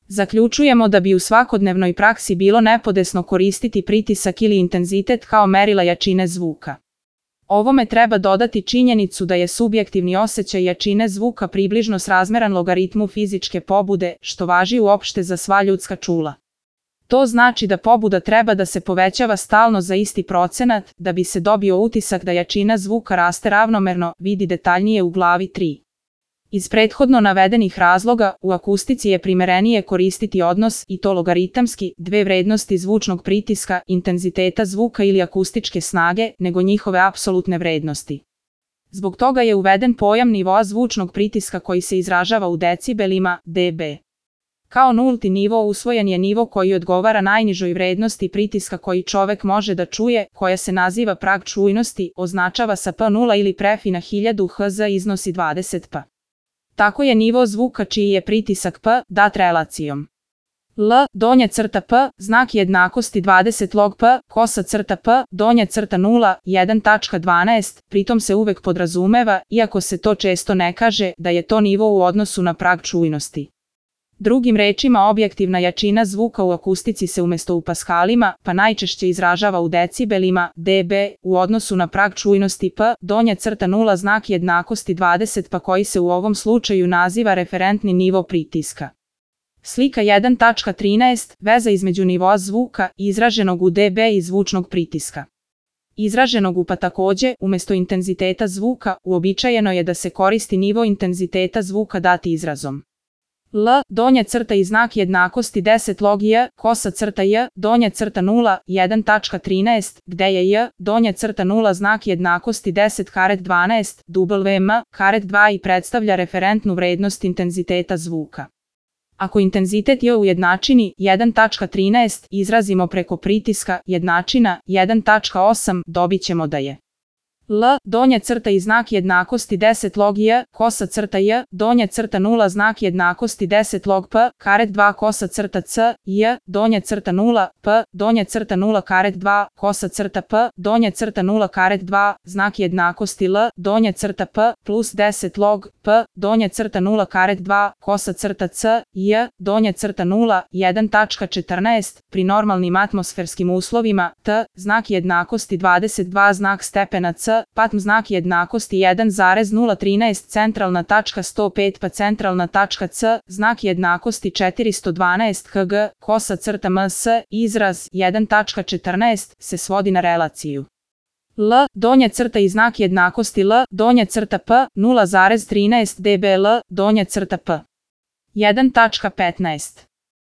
Zaključujemo da bi u svakodnevnoj praksi bilo nepodesno koristiti pritisak ili intenzitet kao merila jačine zvuka. Ovome treba dodati činjenicu da je subjektivni osjećaj jačine zvuka približno srazmeran logaritmu fizičke pobude, što važi uopšte za sva ljudska čula. To znači da pobuda treba da se povećava stalno za isti procenat, da bi se dobio utisak da jačina zvuka raste ravnomerno, vidi detaljnije u glavi 3. Iz prethodno navedenih razloga, u akustici je primerenije koristiti odnos, i to logaritamski, dve vrednosti zvučnog pritiska, intenziteta zvuka ili akustičke snage, nego njihove apsolutne vrednosti. Zbog toga je uveden pojam nivoa zvučnog pritiska koji se izražava u decibelima, dB. Kao nulti nivo usvojen je nivo koji odgovara najnižoj vrednosti pritiska koji čovek može da čuje, koja se naziva prag čujnosti, označava sa P0 ili prefi na 1000 Hz iznosi 20 P. Tako je nivo zvuka čiji je pritisak P dat relacijom L, donja crta P, znak jednakosti 20 log P, kosa crta P, donja crta 0, 1.12, pritom se uvek podrazumeva, iako se to često ne kaže, da je to nivo u odnosu na prag čujnosti. Drugim rečima, objektivna jačina zvuka u akustici se umesto u paskalima, pa najčešće izražava u decibelima, dB, u odnosu na prag čujnosti P, donja crta 0 znak jednakosti 20 pa koji se u ovom slučaju naziva referentni nivo pritiska. Slika 1.13, veza između nivoa zvuka, izraženog u dB i zvučnog pritiska. Izraženog u pa takođe, umesto intenziteta zvuka, uobičajeno je da se koristi nivo intenziteta zvuka dati izrazom L, donja crta i znak jednakosti 10 log J, kosa crta J, donja crta 0, 1.13, gde je J, donja crta 0 znak jednakosti 10 karet 12, WM, karet 2 i predstavlja referentnu vrednost intenziteta zvuka. Ako intenzitet J u jednačini 1.13 izrazimo preko pritiska jednačina 1.8, dobit ćemo da je L, donja crta i znak jednakosti 10 log J, kosa crta J, donja crta 0 znak jednakosti 10 log P, karet 2 kosa crta C, J, donja crta 0, P, donja crta 0 karet 2, kosa crta P, donja crta 0 karet 2, znak jednakosti L, donja crta P, plus 10 log P, donja crta 0 karet 2, kosa crta C, J, donja crta 0, 1.14, pri normalnim atmosferskim uslovima, T, znak jednakosti 22 znak stepena C, patm znak jednakosti 1.013 centralna tačka 105 pa centralna tačka C, znak jednakosti 412 Hg, kosa crta MS, izraz 1.14 se svodi na relaciju L, donja crta i znak jednakosti L, donja crta P, 0.13 dB L, donja crta P. 1.15